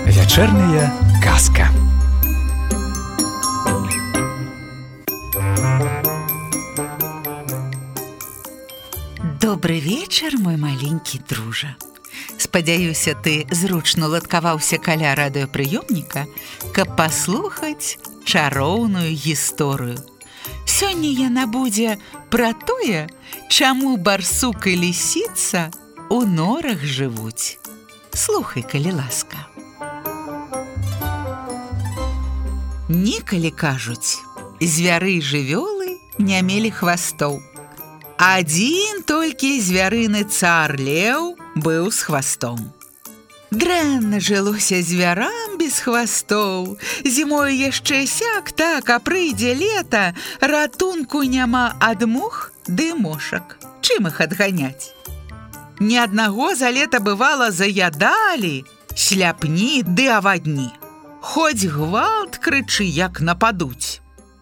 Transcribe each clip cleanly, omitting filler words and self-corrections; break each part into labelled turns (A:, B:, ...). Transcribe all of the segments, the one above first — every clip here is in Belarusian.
A: Вечерняя казка.
B: Добры вечар, мой маленькі дружа. Спадзяюся, ты зручна ладкаваўся каля радыёпрыёмніка, каб паслухаць чароўную гісторыю. Сёння яна будзе пра тое, чаму барсук і лісіца у норах жывуць. Слухай, калі ласка. Некалі, кажуць, звяры і жывёлы не мелі хвастоў. Адзін толькі звярыны цар леў быў з хвастом. Дрэнна жылося звярам без хвастоў. Зімою яшчэ сяк так, а прыйдзе лета, ратунку няма ад мух ды мошак. Чым іх адганяць? Ні аднаго за лета бывала заядалі сляпні ды авадні. Хоць гвалт крычы, як нападуць.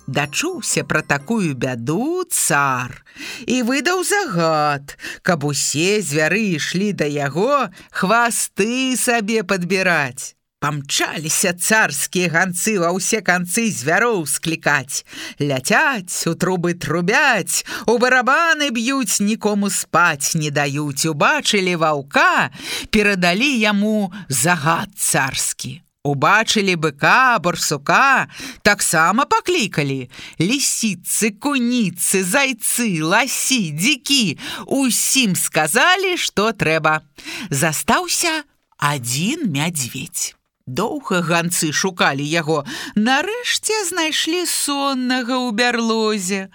B: Дачуўся пра такую бяду цар і выдаў загад, каб усе звяры ішлі да яго хвасты сабе падбіраць. Памчаліся царскія ганцы ва ўсе канцы звяроў склікаць. Ляцяць, у трубы трубяць, у барабаны б'юць, нікому спаць не даюць. Убачылі ваўка, перадалі яму загад царскі. Убачылі быка, барсука, таксама паклікалі. Лісіцы, куніцы, зайцы, ласі, дзікі. Усім сказалі, што трэба. Застаўся адзін мядзведзь. Доўга ганцы шукалі яго. Нарэшце знайшлі соннага ў бярлозе.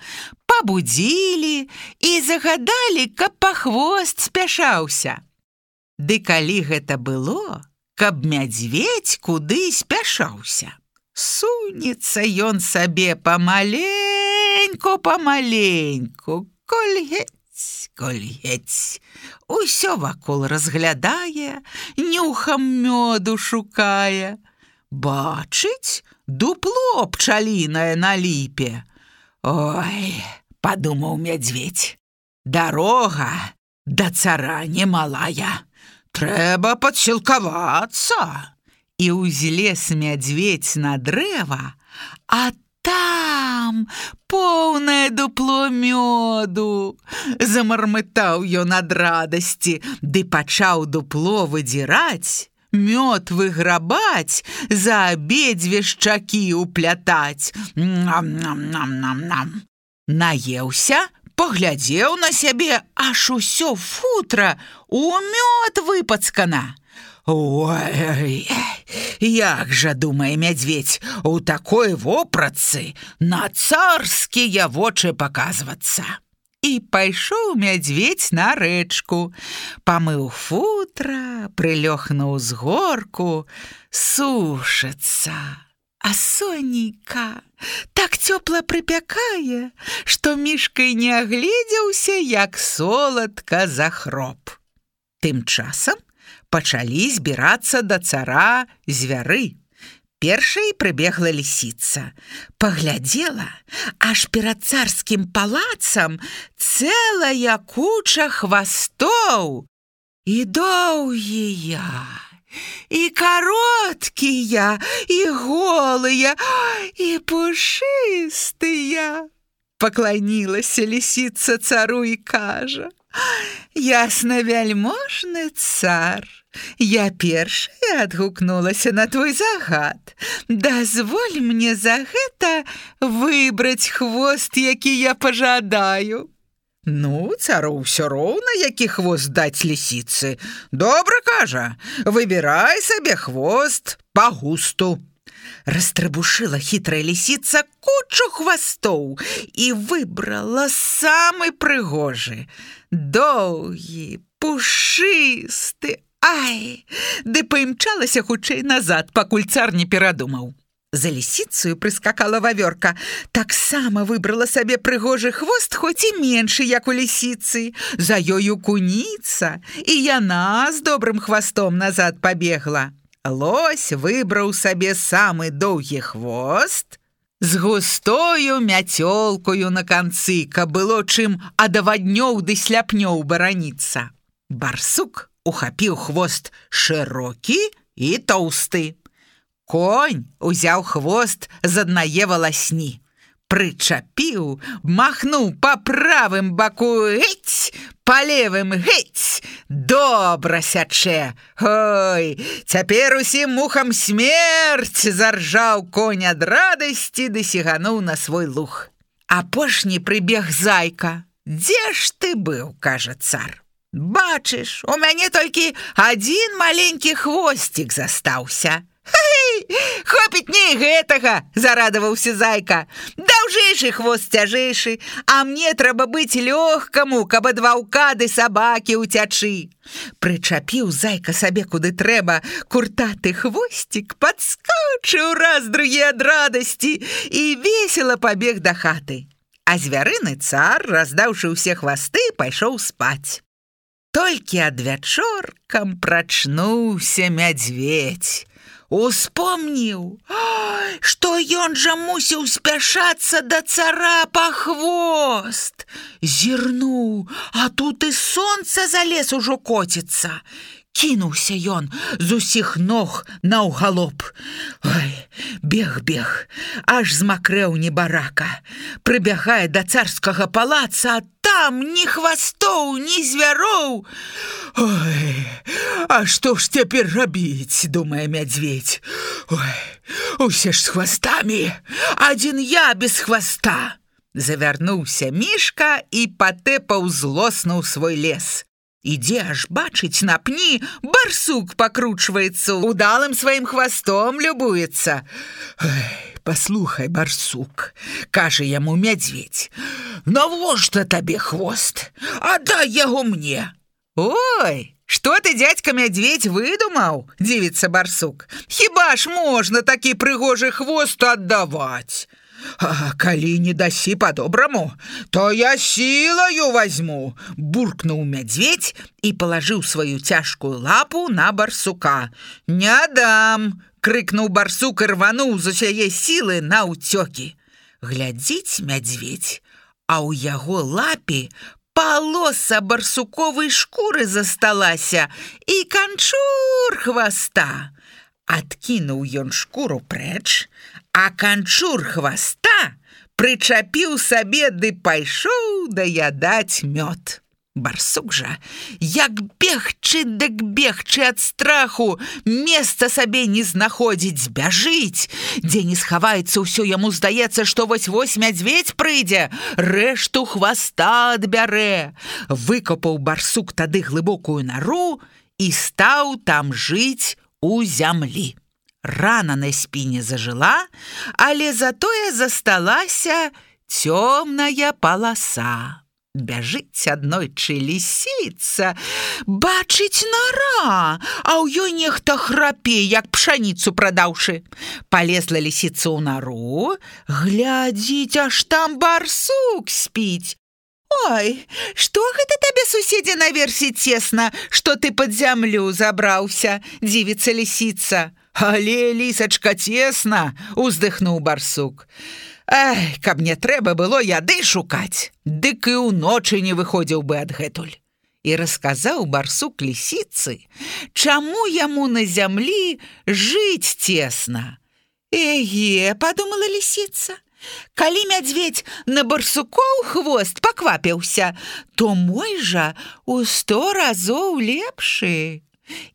B: Пабудзілі і загадалі, каб па хвост спяшаўся. Ды калі гэта было, каб мядзведзь куды спяшаўся. Сунецца ён сабе памаленьку, кольгець. Усё вакол разглядае, нюхам мёду шукае. Бачыць, дупло пчалінае на ліпе. Ой, падумаў мядзведзь, дарога да цара немалая. Трэба падсілкавацца. І ўзлез мядзведзь на дрэва, а там поўнае дупло мёду. Замармытаў ён ад радасці, ды пачаў дупло выдзіраць, мёд выграбаць, за абедзве шчакі ўплятаць. Нам-нам-нам-нам-нам. Наеўся, паглядзеў на сябе, аж усё футра у мёд выпацкана. Ой, як жа, думае мядзведзь, у такой вопратцы на царскія вочы паказвацца. І пайшоў мядзведзь на рэчку, памыў футра, прылёг на ўзгорку, сушыцца. А сонейка так цёпла прыпякае, што мішка і не агледзеўся, як соладка захроп. Тым часам пачалі збірацца да цара звяры. Першай прыбегла лісіца. Паглядзела, аж перад царскім палацам цэлая куча хвастоў. І доўгія, і кароткія, і голыя, і пушыстыя. Пакланілася лісіца цару і кажа: «Ясна вяльможны цар, я першая адгукнулася на твой загад. Дазволь мне за гэта выбраць хвост, які я пажадаю». Ну, цару ўсё роўна, які хвост даць лісіцы. Добра, кажа, выбірай сабе хвост па густу. Растрыбушыла хітрая лісіца кучу хвастоў і выбрала самы прыгожы. Доўгі, пушысты, ай, ды паімчалася хутчэй назад, пакуль цар не перадумаў. За лісіцаю прыскакала вавёрка, таксама выбрала сабе прыгожы хвост, хоць і меншы, як у лісіцы. За ёю куніца, і яна з добрым хвастом назад пабегла. Лось выбраў сабе самы доўгі хвост, з густою мяцёлкою на канцы, каб было чым ад аваднёў ды сляпнёў бараніцца. Барсук ухапіў хвост шырокі і тоўсты. Конь узяў хвост з аднае валасні, прычапіў, махнуў па правым баку геть, па левым геть, добра сячэ. Ой, цяпер усім мухам смерць, заржаў конь ад радасці ды сігануў на свой луг. Апошні прыбег зайка. Дзе ж ты быў, кажа цар. Бачыш, у мяне толькі адзін маленькі хвосцік застаўся. Хай, хопіць не гэтага, зарадаваўся зайка. Даўжэйшы хвост цяжэйшы, а мне трэба быць лёгкаму, каб ад ваўка ды сабакі ўцячы. Прычапіў зайка сабе куды трэба куртаты хвосцік, падскочыў раз другі ад радасці і весела пабег да хаты. А звярыны цар, раздаўшы ўсе хвасты, пайшоў спаць. Толькі адвячоркам прачнуўся мядзведзь. Успомніў, што ён жа мусіў спяшацца да цара па хвост. Зірнуў, а тут і сонца за лес ужо коціцца. Кінуўся ён з усіх ног наўгалоп. Ой, бег, аж змакрэў небарака. Прыбягае да царскага палаца, а там ні хвастоў, ні звяроў. Ой, а што ж цяпер рабіць, думае мядзведзь. Ой, усе ж з хвастамі, адзін я без хваста. Завярнуўся мішка і патэпаў злосна ў свой лес. Ідзе, аж бачыць, на пні барсук пакручваецца, удалым сваім хвастом любуецца. Паслухай, барсук, кажа яму мядзведзь, навошта табе хвост? Аддай яго мне. Ой, што ты, дзядзька мядзведзь, выдумаў? Дзівіцца барсук. Хіба ж можна такі прыгожы хвост аддаваць? А калі не дасі па-добраму, то я сілаю возьму, буркнуў мядзведзь і палажыў сваю цяжкую лапу на барсука. Не дам, крыкнуў барсук і рвануў з усяе сілы на ўцёкі. Глядзіць мядзведзь, а ў яго лапе палоса барсуковай шкуры засталася і канчур хваста. Адкінуў ён шкуру прэч, а канчур хваста прычапіў сабе ды пайшоў даядаць мёд. Барсук жа, як бегчы дык бегчы ад страху, месца сабе не знаходзіць, бяжыць. Дзе не схаваецца, ўсё яму здаецца, што вось-вось мядзведзь прыйдзе, рэшту хваста адбярэ. Выкопаў барсук тады глыбокую нару і стаў там жыць у зямлі. Рана на спіне зажыла, але затое засталася цёмная паласа. Бяжыць аднойчы лісіца, бачыць нара, а ў ёй нехта храпе, як пшаніцу прадаўшы. Палезла лісіца ў нару, глядзіць, аж там барсук спіць. Ой, што гэта табе, суседзе, наверсе цесна, што ты пад зямлю забраўся, дзівіцца лісіца. Але, лісачка, цесна, уздыхнуў барсук. Ай, каб не трэба было яды шукаць, дык і ўночы не выходзіў бы адгэтуль. І расказаў барсук лісіцы, чаму яму на зямлі жыць цесна. Эге, падумала лісіца, калі мядзведзь на барсукоў хвост паквапіўся, то мой жа у 100 разоў лепшы.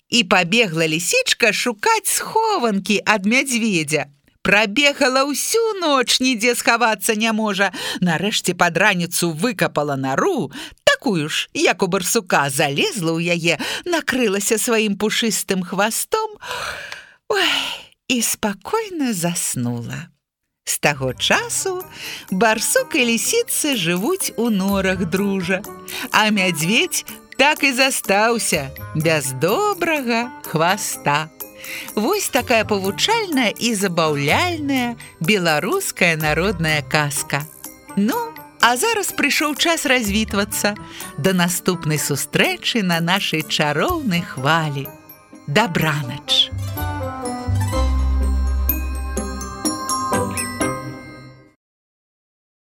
B: І пабегла лісічка шукаць схованкі ад мядзведзя. Прабегала ўсю ноч, нідзе схавацца не можа. Нарэшце пад раніцу выкапала нару, такую ж, як у барсука, залезла ў яе, накрылася сваім пушыстым хвастом, ой, і спакойна заснула. З таго часу барсук і лісіцы жывуць у норах дружа, а мядзведзь так і застаўся без добрага хваста. Вось такая павучальная і забаўляльная беларуская народная казка. Ну, а зараз прыйшоў час развітвацца. Да наступнай сустрэчы на нашай чароўнай хвалі. Дабранач!